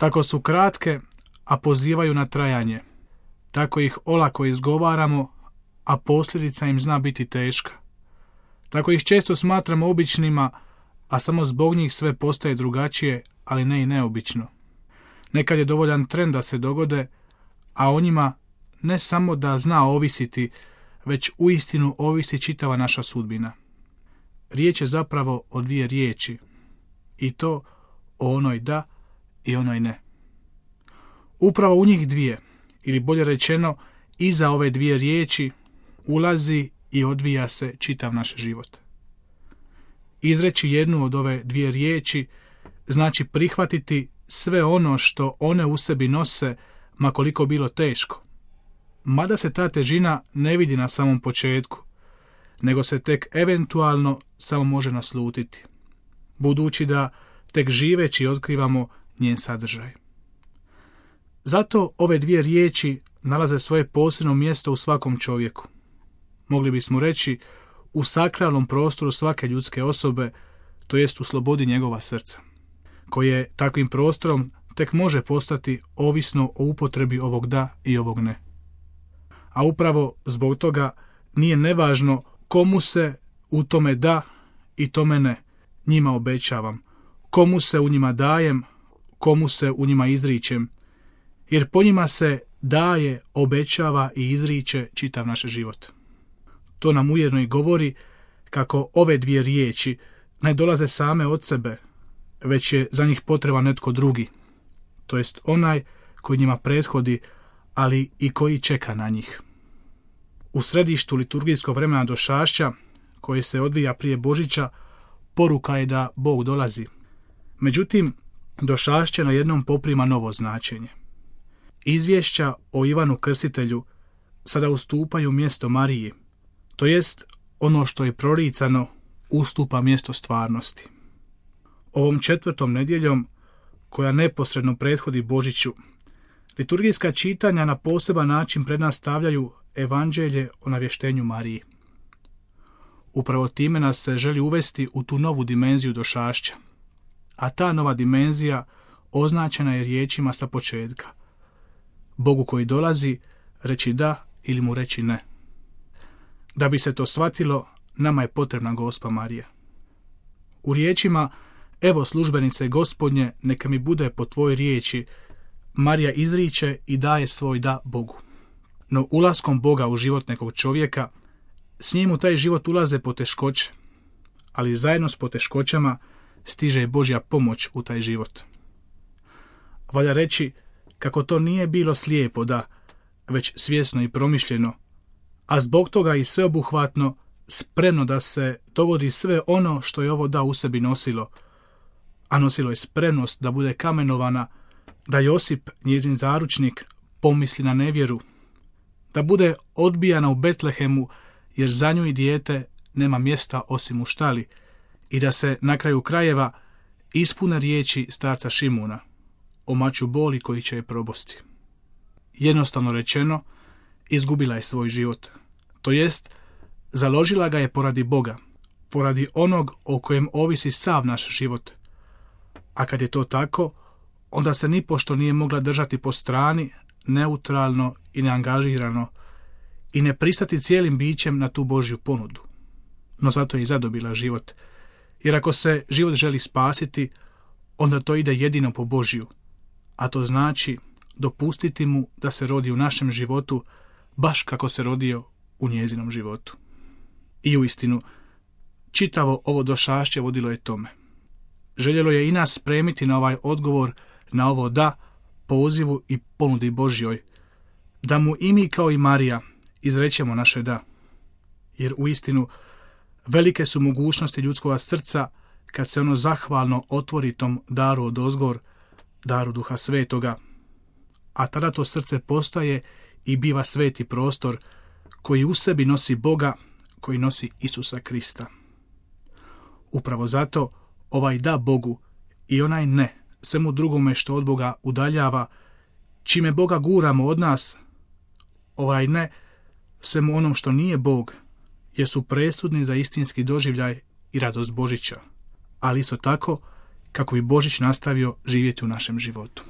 Kako su kratke, a pozivaju na trajanje, tako ih olako izgovaramo, a posljedica im zna biti teška. Tako ih često smatramo običnima, a samo zbog njih sve postaje drugačije, ali ne i neobično. Nekad je dovoljan trend da se dogode, a o njima ne samo da zna ovisiti, već uistinu ovisi čitava naša sudbina. Riječ je zapravo o dvije riječi, i to o onoj da i onoj ne. Upravo u njih dvije, ili bolje rečeno, iza ove dvije riječi ulazi i odvija se čitav naš život. Izreći jednu od ove dvije riječi znači prihvatiti sve ono što one u sebi nose, ma koliko bilo teško. Mada se ta težina ne vidi na samom početku, nego se tek eventualno samo može naslutiti, budući da tek živeći otkrivamo njen sadržaj. Zato ove dvije riječi nalaze svoje posebno mjesto u svakom čovjeku. Mogli bismo reći u sakralnom prostoru svake ljudske osobe, to jest u slobodi njegova srca, koje takvim prostorom tek može postati ovisno o upotrebi ovog da i ovog ne. A upravo zbog toga nije nevažno komu se u tome da i tome ne njima obećavam, komu se u njima dajem, komu se u njima izričem, jer po njima se daje, obećava i izriče čitav naš život. To nam ujedno i govori kako ove dvije riječi ne dolaze same od sebe, već je za njih potreban netko drugi, to jest onaj koji njima prethodi, ali i koji čeka na njih. U središtu liturgijskog vremena došašća, koje se odvija prije Božića, poruka je da Bog dolazi. Međutim, došašće na jednom poprima novo značenje. Izvješća o Ivanu Krstitelju sada ustupaju mjesto Mariji, to jest ono što je proricano ustupa mjesto stvarnosti. Ovom 4. nedjeljom, koja neposredno prethodi Božiću, liturgijska čitanja na poseban način pred nas stavljaju evanđelje o navještenju Mariji. Upravo time nas se želi uvesti u tu novu dimenziju došašća, a ta nova dimenzija označena je riječima sa početka. Bogu koji dolazi reći da ili mu reći ne. Da bi se to shvatilo, nama je potrebna Gospa Marija. U riječima evo službenice Gospodnje, neka mi bude po tvojoj riječi, Marija izriče i daje svoj da Bogu. No ulaskom Boga u život nekog čovjeka, s njim u taj život ulaze poteškoće, ali zajedno s poteškoćama stiže i Božja pomoć u taj život. Valja reći kako to nije bilo slijepo da, već svjesno i promišljeno, a zbog toga i sveobuhvatno, spremno da se dogodi sve ono što je ovo da u sebi nosilo, a nosilo je spremnost da bude kamenovana, da Josip, njezin zaručnik, pomisli na nevjeru, da bude odbijana u Betlehemu jer za nju i dijete nema mjesta osim u štali, i da se na kraju krajeva ispune riječi starca Šimuna o maču boli koji će je probosti. Jednostavno rečeno, izgubila je svoj život, to jest založila ga je poradi Boga, poradi onog o kojem ovisi sav naš život. A kad je to tako, onda se nipošto nije mogla držati po strani, neutralno i neangažirano, i ne pristati cijelim bićem na tu Božju ponudu. No zato je i zadobila život, jer ako se život želi spasiti, onda to ide jedino po Božju, a to znači dopustiti mu da se rodi u našem životu, baš kako se rodio u njezinom životu. I uistinu, čitavo ovo došašće vodilo je tome. Željelo je i nas spremiti na ovaj odgovor, na ovo da, pozivu i ponudi Božjoj, da mu i mi kao i Marija izrećemo naše da. Jer uistinu velike su mogućnosti ljudskog srca kad se ono zahvalno otvori tom daru odozgor, daru Duha Svetoga, a tada to srce postaje i biva sveti prostor koji u sebi nosi Boga, koji nosi Isusa Krista. Upravo zato ovaj da Bogu i onaj ne svemu drugome što od Boga udaljava, čime Boga guramo od nas, ovaj ne svemu onom što nije Bog, jer su presudni za istinski doživljaj i radost Božića, ali isto tako kako bi Božić nastavio živjeti u našem životu.